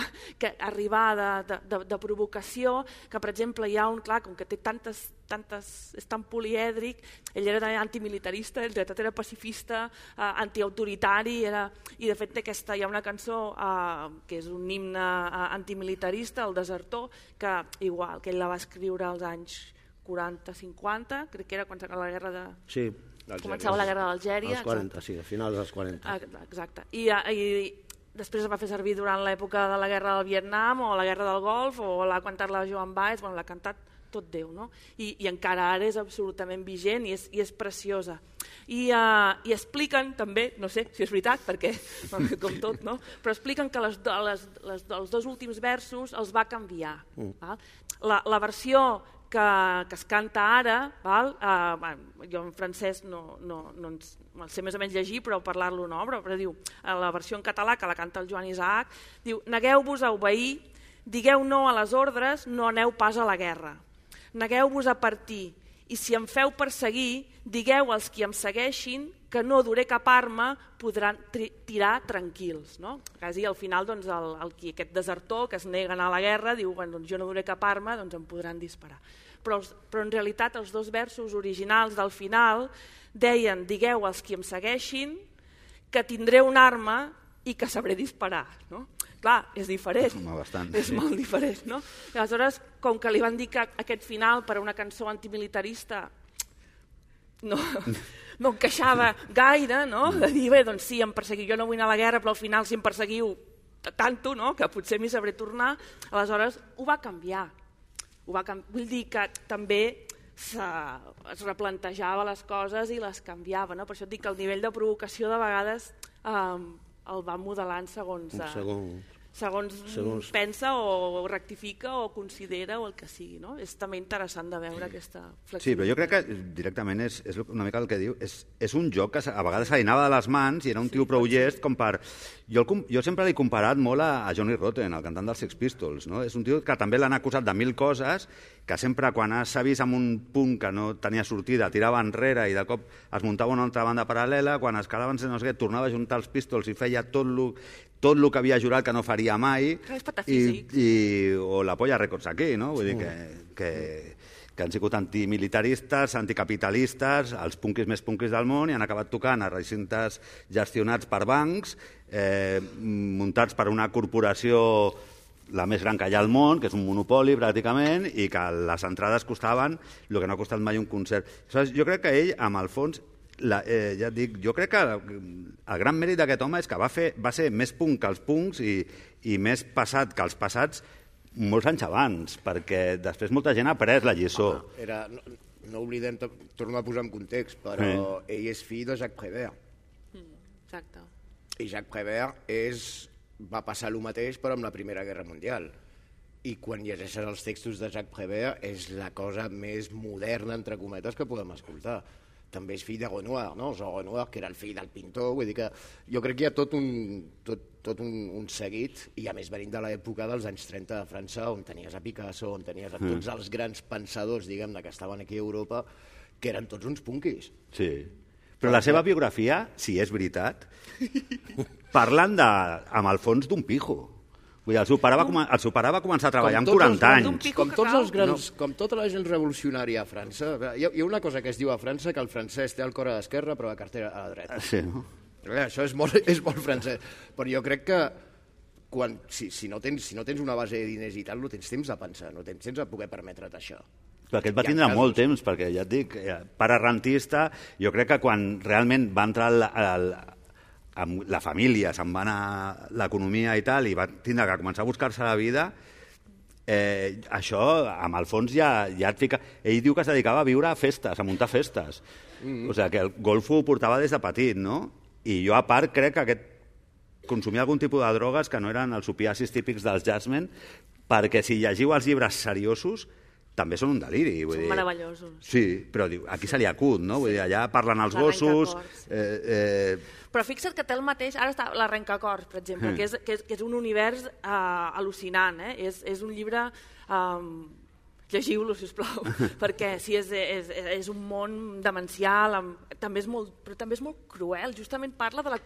arribar de provocació, que per exemple hi ha clar, com que té tantes és tan polièdric, ell era antimilitarista, en realitat era pacifista, antiautoritari, i de fet hi ha una cançó que és un himne antimilitarista, El desertor, que igual, que ell la va escriure als anys 40-50, crec que era quan s'acaba la guerra de... Sí. Començava la guerra d'Algèria. Als 40, sí, a finals dels 40. Exacte. I després es va fer servir durant l'època de la guerra del Vietnam o la guerra del Golf, o l'ha cantat la Joan Baez, l'ha cantat tot Déu, no? I encara ara és absolutament vigent i és preciosa. I expliquen també, no sé si és veritat, perquè com tot, no? Però expliquen que els dos últims versos els va canviar. La versió que es canta ara, jo en francès no el sé més o menys llegir, però parlar-lo no, però diu, la versió en català que la canta el Joan Isaac, diu: negueu-vos a obeir, digueu no a les ordres, no aneu pas a la guerra. Negueu-vos a partir, i si em feu perseguir, digueu als qui em segueixin que no duré cap arma, podran tirar tranquils. Quasi al final aquest desertor que es nega a anar a la guerra diu: jo no duré cap arma, doncs em podran disparar. Però en realitat els dos versos originals del final deien: digueu als qui em segueixin que tindré una arma i que sabré disparar. Clar, és diferent, és molt diferent. Aleshores, com que li van dir que aquest final per a una cançó antimilitarista no encaixava gaire, de dir, bé, doncs sí, em perseguiu, jo no vull anar a la guerra, però al final si em perseguiu tanto, que potser m'hi sabré tornar, aleshores ho va canviar. Vull dir que també es replantejava les coses i les canviava. Per això et dic que el nivell de provocació de vegades el va modelant segons... segons pensa o rectifica o considera o el que sigui, no? És també interessant de veure aquesta flexibilitat. Sí, però jo crec que directament és una mica el que diu, és un joc que a vegades se li anava de les mans i era un tio prou llest com per... Jo sempre l'he comparat molt a Johnny Rotten, el cantant dels Sex Pistols, no? És un tio que també l'han acusat de 1000 coses, que sempre quan s'ha vist en un punt que no tenia sortida tirava enrere i de cop es muntava una altra banda paral·lela, quan es quedava no sé què, tornava a juntar els Pistols i feia tot el que havia jurat que no faria mai, o la Polla Records aquí, no? Vull dir que han sigut antimilitaristes, anticapitalistes, els punkis més punkis del món, i han acabat tocant a recintes gestionats per bancs, muntats per una corporació la més gran que hi ha al món, que és un monopoli pràcticament, i que les entrades costaven el que no ha costat mai un concert. Jo crec que ell, amb el fons, ja et dic, jo crec que el gran mèrit d'aquest home és que va ser més punk que els punks i més passat que els passats molts anys abans, perquè després molta gent ha après la lliçó. No oblidem, torno a posar en context, però ell és fill de Jacques Prévert. Exacte. I Jacques Prévert va passar el mateix però amb la Primera Guerra Mundial. I quan llegeixes els textos de Jacques Prévert és la cosa més moderna, entre cometes, que podem escoltar. També és fill de Renoir, no? Jean Renoir, que era el fill del pintor, vull dir que jo crec que hi ha tot un seguit, i a més venint de l'època dels anys 30 de França, on tenies a Picasso, on tenies a tots els grans pensadors, diguem-ne, que estaven aquí a Europa, que eren tots uns punquis. Sí, però la seva biografia, si és veritat, parlen amb el fons d'un pijo. Vull dir, el seu pare va començar a treballar amb 40 anys. Com tots els grans, com tota la gent revolucionària a França. Hi ha una cosa que es diu a França, que el francès té el cor a l'esquerra però la cartera a la dreta. Sí, no? Això és molt francès. Però jo crec que si no tens una base de diners i tal, no tens temps de pensar, no tens temps de poder permetre't això. Però aquest va tindre molt temps, perquè ja et dic, pare rentista, jo crec que quan realment va entrar amb la família, se'n va anar l'economia i tal, i va tindre que començar a buscar-se la vida, això, amb el fons, ja et fica... Ell diu que es dedicava a viure a festes, a muntar festes. O sigui, que el golfo ho portava des de petit, no? I jo, a part, crec que consumia algun tipus de drogues que no eren els opiacis típics dels jazzmen, perquè si llegiu els llibres seriosos, també són un deliri. Són meravellosos. Sí, però aquí se li acut, no? Vull dir, allà parlen els gossos... Però fixa't que té el mateix... Ara està l'Arrencacors, per exemple, que és un univers al·lucinant. És un llibre... Llegiu-lo, sisplau, perquè sí, és un món demencial, però també és molt cruel. Justament parla de la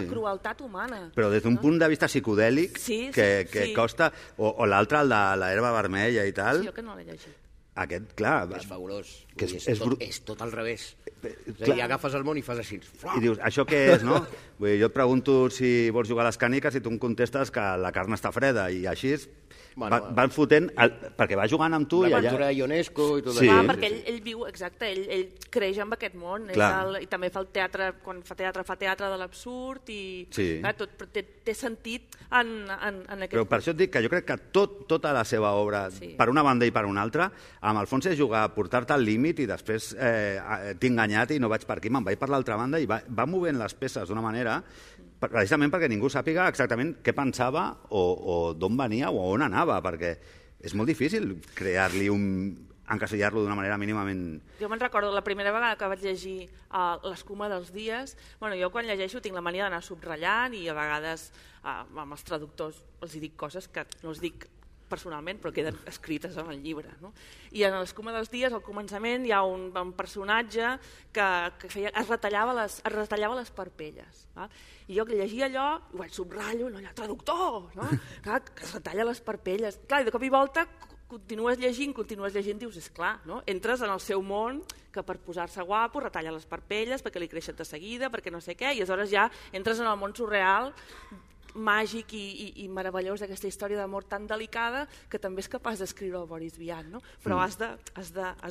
crueltat humana. Però des d'un punt de vista psicodèlic que costa... O l'altre, el de l'herba vermella i tal... Sí, jo que no l'he llegit. Aquest, clar... És fabulós. És tot al revés. I agafes el món i fas així. I dius, això què és, no? Vull dir, jo et pregunto si vols jugar a les càniques i tu em contestes que la carn està freda, i així van fotent... Perquè va jugant amb tu i allà... L'aventura de Ionesco i tot això. Perquè ell viu, exacte, ell creix amb aquest món. I també fa el teatre, quan fa teatre de l'absurd i tot té sentit en aquest... Però per això et dic que jo crec que tota la seva obra, per una banda i per una altra, amb el fons és jugar a portar-te al límit i després t'he enganyat i no vaig per aquí, me'n vaig per l'altra banda, i va movent les peces d'una manera precisament perquè ningú sàpiga exactament què pensava o d'on venia o on anava, perquè és molt difícil crear-li encasellar-lo d'una manera mínimament... Jo me'n recordo la primera vegada que vaig llegir l'Escuma dels dies, jo quan llegeixo tinc la mania d'anar subratllant i a vegades amb els traductors els dic coses que no els dic personalment, però queden escrites en el llibre. No? I en l'Escuma dels dies, al començament, hi ha un personatge que es retallava les parpelles. I jo que llegia allò, ho vaig subratllo, allà, traductor, no? Clar, que es retalla les parpelles. Clar, i de cop i volta continues llegint, dius, esclar, no? Entres en el seu món, que per posar-se guapo retalla les parpelles, perquè li creixen de seguida, perquè no sé què, i aleshores ja entres en el món surreal, màgic i meravellós d'aquesta història d'amor tan delicada que també és capaç d'escriure el Boris Vian, no? Però has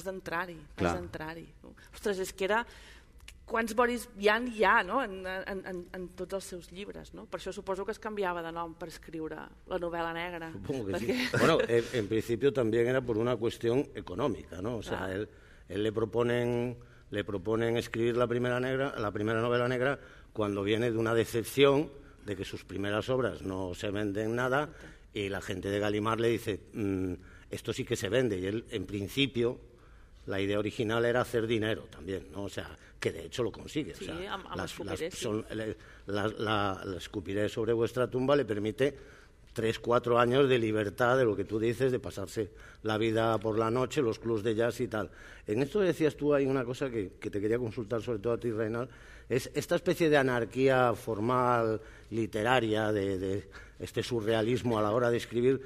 d'entrar-hi, no? Ostres, és que era... Quants Boris Vian hi ha, no? en tots els seus llibres, no? Per això suposo que es canviava de nom per escriure la novel·la negra. Supongo que sí. Bueno, en principio también era por una cuestión económica, ¿no? O sea, él le proponen escribir la primera novela negra cuando viene de una decepción de que sus primeras obras no se venden nada y la gente de Gallimard le dice, esto sí que se vende. Y él, en principio, la idea original era hacer dinero también, ¿no? O sea, que de hecho lo consigue. Sí, o sea, la escupiré sobre vuestra tumba le permite 3-4 años de libertad, de lo que tú dices, de pasarse la vida por la noche, los clubs de jazz y tal. En esto decías tú, hay una cosa que te quería consultar, sobre todo a ti, Reinald, es esta especie de anarquía formal, literaria, de este surrealismo a la hora de escribir,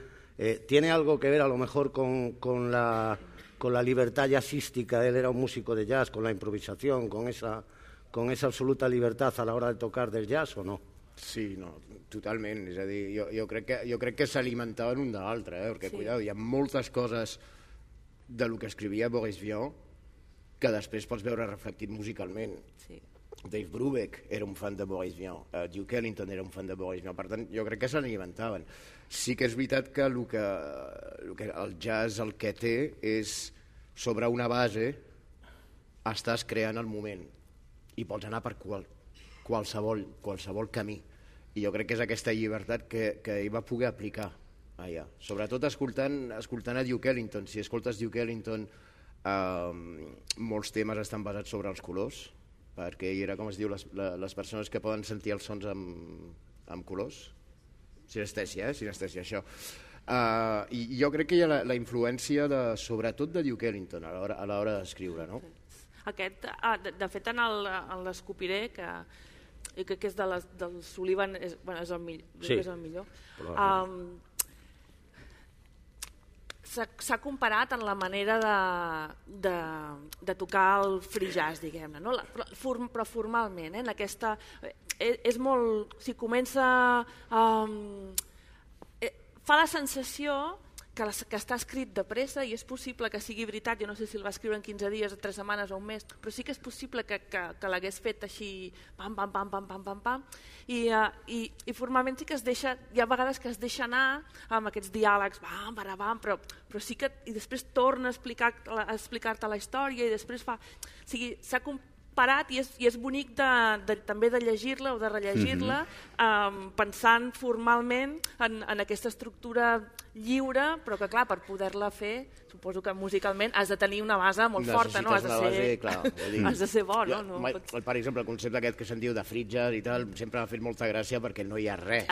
¿tiene algo que ver a lo mejor con la libertad jazzística? Él era un músico de jazz, con la improvisación, con esa absoluta libertad a la hora de tocar del jazz, ¿o no? Sí, no, totalment. És a dir, jo crec que s'alimentaven un de l'altre, perquè, sí, cuidado, hi ha moltes coses de lo que escrivia Boris Vian que després pots veure reflectit musicalment. Sí. Dave Brubeck era un fan de Boris Vian, Duke Ellington era un fan de Boris Vian, per tant, jo crec que s'alimentaven. Sí que és veritat que el jazz el que té és, sobre una base, estàs creant el moment i pots anar per qualsevol camí. I jo crec que és aquesta llibertat que ell va poder aplicar allà. Sobretot escoltant a Duke Ellington. Si escoltes Duke Ellington, molts temes estan basats sobre els colors, perquè ell era, com es diu, les persones que poden sentir els sons amb colors. Sinestèsia, això. I jo crec que hi ha la influència, sobretot de Duke Ellington, a l'hora d'escriure, no? Aquest, de fet, en l'Escopiré, que és del Sullivan, és el millor. S'ha comparat en la manera de tocar el free jazz, diguem-ne, no? Però formalment, en aquesta... És molt... Si comença... Fa la sensació que està escrit de pressa, i és possible que sigui veritat, jo no sé si el va escriure en 15 dies, 3 setmanes o un mes, però sí que és possible que l'hagués fet així, pam, pam, pam, pam, pam, pam, pam, i formalment sí que es deixa, hi ha vegades que es deixa anar amb aquests diàlegs, bam, barabam, però sí que, i després torna a explicar-te la història, i després fa... O sigui, s'ha comparat, i és bonic també de llegir-la o de rellegir-la, pensant formalment en aquesta estructura lliure, però que, clar, per poder-la fer, suposo que musicalment has de tenir una base molt forta, no? Has de ser bo, no? Per exemple, el concepte aquest que se'n diu de free jazz i tal, sempre m'ha fet molta gràcia perquè no hi ha res,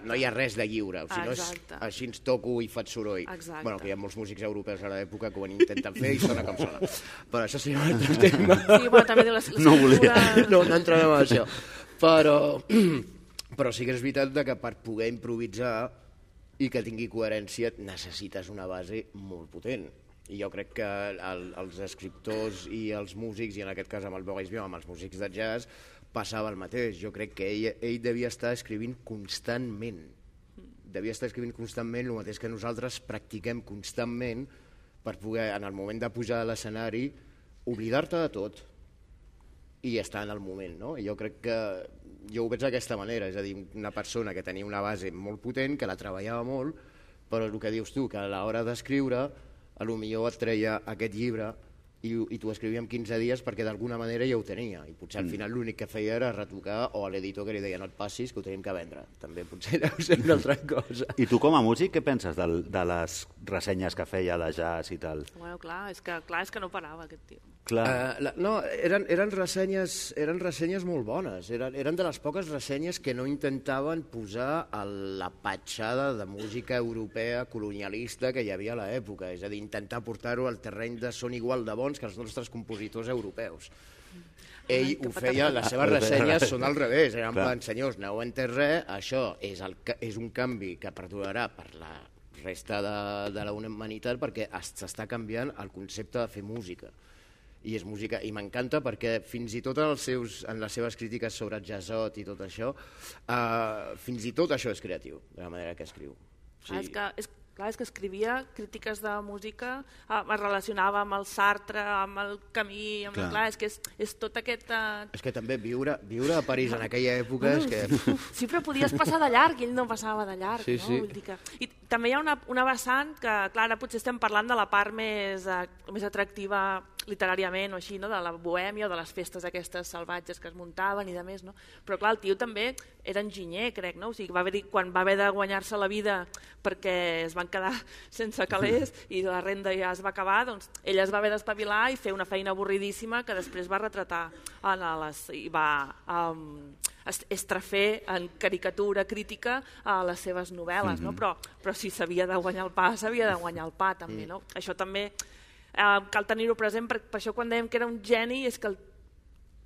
no hi ha res de lliure, si no és així ens toco i faig soroll. Bueno, que hi ha molts músics europeus a l'època que ho intenten fer i sona com sona. Però això seria un altre tema. Sí, però també no volia. No entrarem en això. Però sí que és veritat que per poder improvisar i que tingui coherència necessites una base molt potent. I jo crec que els escriptors i els músics, i en aquest cas amb el Boris Vian, amb els músics de jazz, passava el mateix. Jo crec que ell devia estar escrivint constantment. Devia estar escrivint constantment el mateix que nosaltres practiquem constantment per poder, en el moment de pujar a l'escenari, oblidar-te de tot i estar en el moment, no? Jo crec que jo ho veig d'aquesta manera, és a dir, una persona que tenia una base molt potent, que la treballava molt, però el que dius tu, que a l'hora d'escriure, potser et treia aquest llibre i t'ho escrivia en 15 dies perquè d'alguna manera ja ho tenia, i potser al final l'únic que feia era retocar, o a l'editor que li deia no et passis, que ho tenim que vendre. També potser deu ser una altra cosa. I tu com a músic què penses de les ressenyes que feia de jazz i tal? Bueno, clar, és que no parava aquest tio. No, eren ressenyes molt bones, eren de les poques ressenyes que no intentaven posar la patxada de música europea colonialista que hi havia a l'època, és a dir, intentar portar-ho al terreny de són igual de bons que els nostres compositors europeus. Ell ho feia, les seves ressenyes són al revés, eren en plan, senyors, no heu entès res, això és un canvi que perdurarà per la resta de la humanitat perquè s'està canviant el concepte de fer música. I és música, i m'encanta perquè fins i tot en les seves crítiques sobre jazzot i tot això, fins i tot això és creatiu, de la manera que escriu. Clar, és que escrivia crítiques de música, es relacionava amb el Sartre, amb el Camí, clar, és que és tot aquest... És que també viure a París en aquella època és que... Sí, però podies passar de llarg, i ell no passava de llarg, no? Vull dir que... I també hi ha una vessant que, clar, ara potser estem parlant de la part més atractiva literàriament o així, no? De la bohèmia o de les festes aquestes salvatges que es muntaven i de més, no? Però clar, el tio també era enginyer, crec, no? O sigui, quan va haver de guanyar-se la vida perquè es van quedar sense calés i la renda ja es va acabar, doncs ell es va haver d'espavilar i fer una feina avorridíssima que després va retratar i va estrafer en caricatura crítica a les seves novel·les, no? Però si s'havia de guanyar el pa, s'havia de guanyar el pa també, no? Això també cal tenir-ho present, per això quan dèiem que era un geni és que el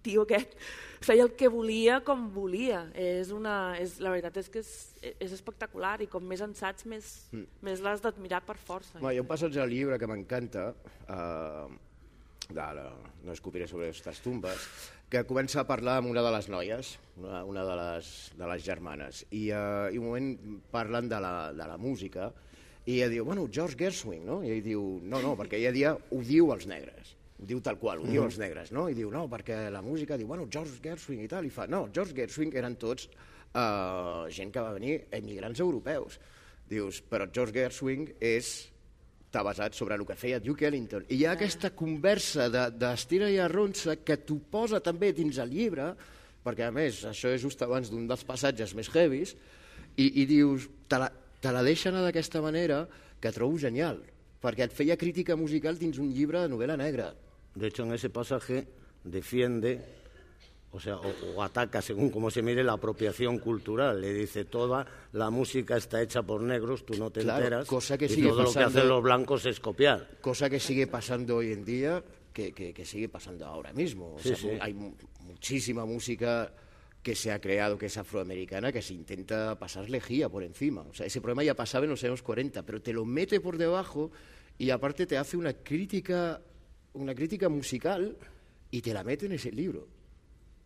tio aquest feia el que volia com volia. La veritat és que és espectacular i com més en saps més l'has d'admirar per força. Hi ha un passatge al llibre que m'encanta, no escopiré sobre aquestes tumbes, que comença a parlar amb una de les noies, una de les germanes, i un moment parlen de la música, i ella diu, bueno, George Gershwin, no? I ell diu, no, perquè ella ho diu als negres, ho diu tal qual, ho diu als negres, no? I diu, no, perquè la música, diu, bueno, George Gershwin i tal, i fa, no, George Gershwin eren tots gent que va venir, emigrants europeus. Dius, però George Gershwin està basat sobre el que feia Duke Ellington. I hi ha aquesta conversa d'estira i arronsa que t'ho posa també dins el llibre, perquè a més això és just abans d'un dels passatges més heavies, i dius, te la deixa anar d'aquesta manera que trobo genial, perquè et feia crítica musical dins un llibre de novel·la negra. De hecho, en ese pasaje defiende, o ataca, según como se mire, la apropiación cultural. Le dice, toda la música está hecha por negros, tú no te enteras, cosa que y todo lo que hacen los blancos es copiar. Cosa que sigue pasando hoy en día, que sigue pasando ahora mismo. Sí. Hay muchísima música que se ha creado, que es afroamericana, que se intenta pasar lejía por encima. O sea, ese problema ya pasaba en los años 40, pero te lo mete por debajo y aparte te hace una crítica musical y te la mete en ese libro.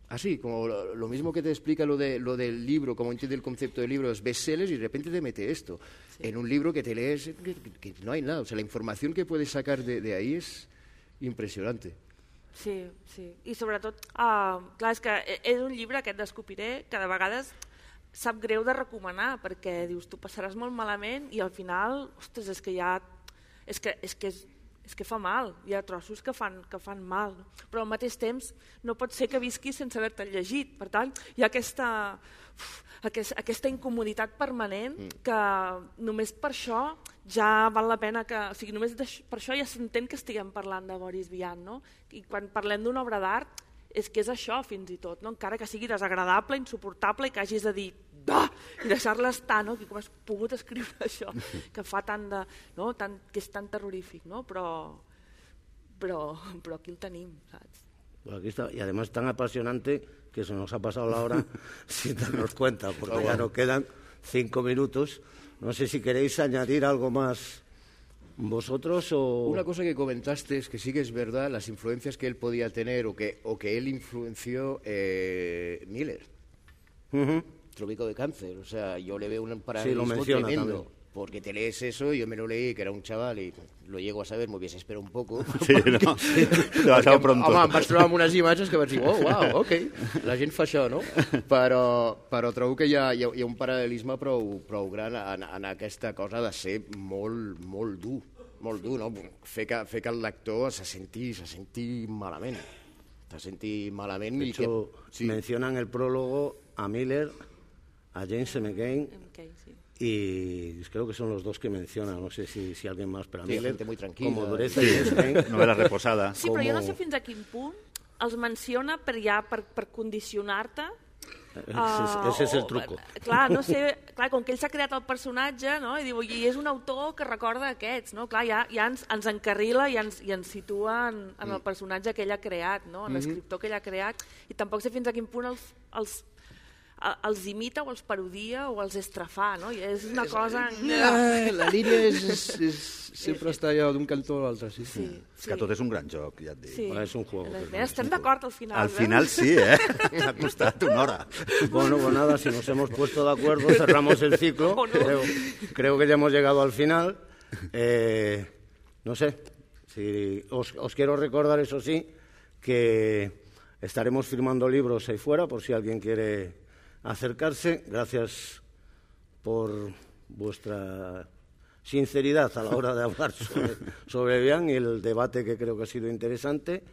Así, como lo mismo que te explica lo del libro, cómo entiende el concepto del libro, los bestsellers, y de repente te mete esto. Sí. En un libro que te lees, que no hay nada. O sea, la información que puedes sacar de ahí es impressionante. Sí. I sobretot, clar, és que és un llibre, aquest d'Escopiré, que de vegades sap greu de recomanar, perquè dius, tu passaràs molt malament i al final, ostres, és que ja... És que fa mal, hi ha trossos que fan mal, no? Però al mateix temps no pot ser que visquis sense haver-te llegit. Per tant, hi ha aquesta incomoditat permanent que només per això ja val la pena que... O sigui, només per això ja s'entén que estiguem parlant de Boris Vian, no? I quan parlem d'una obra d'art és que és això fins i tot, no? Encara que sigui desagradable, insuportable i que hagis de dir bah! I deixar-la estar, no? Que com has pogut escriure això, que fa tant de... No? Que és tan terrorífic, no? Però aquí el tenim, saps? Pues aquí está, y además tan apasionante que se nos ha pasado la hora sin darnos cuenta, porque ya nos quedan 5 minutos. No sé si queréis añadir algo más vosotros o... Una cosa que comentaste es que sí que es verdad las influencias que él podía tener o que él influenció Miller. Trópico de Cáncer, o sea, yo le veo un paralelismo tremendo. También. Porque te lees eso, yo me lo leí, que era un chaval, y lo llego a saber, m'ho hubiese esperado un poco. Sí, no? Demasiado pronto. Home, em vaig trobar amb unes imatges que vaig dir, oh, wow, ok, la gent fa això, no? Però trobo que hi ha un paral·lelisme prou gran en aquesta cosa de ser molt dur, no? Fer que el lector se senti malament. Se senti malament. De hecho, mencionan el prólogo a Miller, a James M. Cain, y creo que son los dos que mencionan, no sé si alguien más, pero a Miller, gente muy tranquila, como dureza y James Cain... Novela reposada. Sí, però jo no sé fins a quin punt els menciona per condicionar-te. Ese es el truco. Clar, no sé, com que ell s'ha creat el personatge, no? I diu, i és un autor que recorda aquests, no? Clar, ja ens encarrila i ens situa en el personatge que ell ha creat, no? En l'escriptor que ell ha creat, i tampoc sé fins a quin punt els imita o els parodia o els estrafà, no? I és una cosa... La línia sempre està allà d'un cantó a l'altre, sí. És que tot és un gran joc, ja et dic. Sí. És un juego. Estem d'acord al final. Al final sí, T'ha costat una hora. Bueno, pues nada, si nos hemos puesto de acuerdo, cerramos el ciclo. Creo que ya hemos llegado al final. No sé, os quiero recordar, eso sí, que estaremos firmando libros ahí fuera, por si alguien quiere acercarse. Gracias por vuestra sinceridad a la hora de hablar sobre Bian y el debate que creo que ha sido interesante.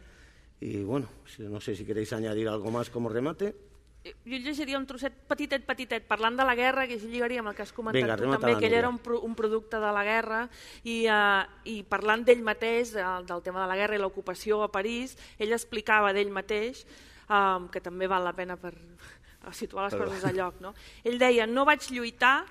Y bueno, no sé si queréis añadir algo más como remate. Jo llegiria un trosset petitet, parlant de la guerra, que així lligaria amb el que has comentat. Vinga, tu també, que ell era un producte de la guerra, i parlant d'ell mateix, del tema de la guerra i l'ocupació a París, ell explicava d'ell mateix, que també val la pena per situar les coses a lloc. No? Ell deia, no vaig lluitar,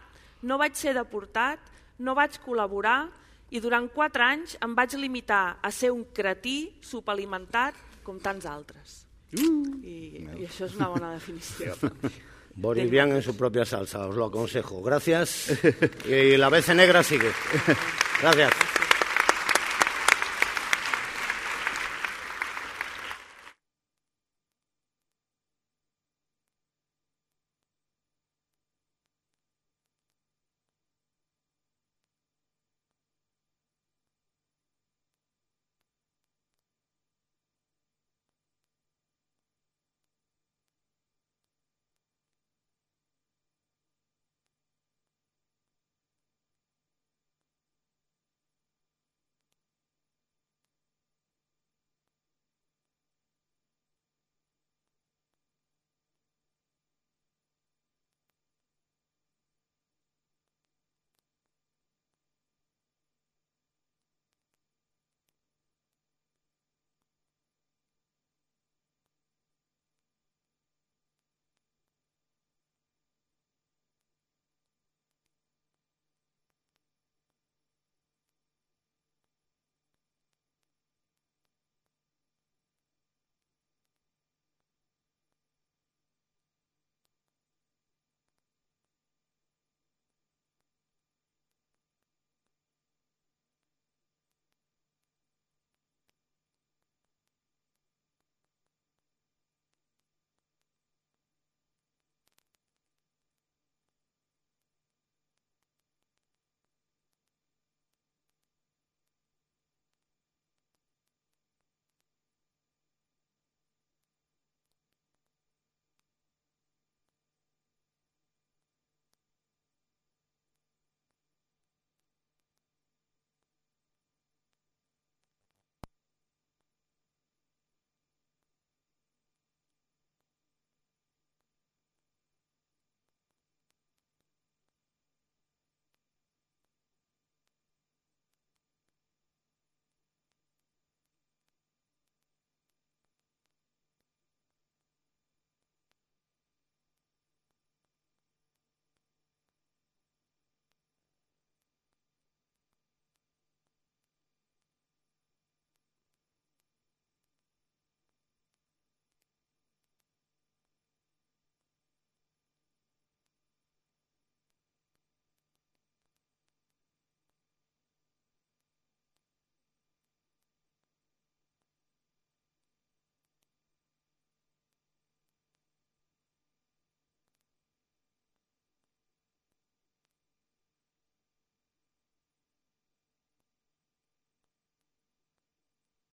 no vaig ser deportat, no vaig col·laborar, i durant 4 anys em vaig limitar a ser un cretí subalimentat com tants altres. Y eso es una buena definición. Boris Vian en su propia salsa, os lo aconsejo. Gracias. Y la BC Negra sigue. Gracias.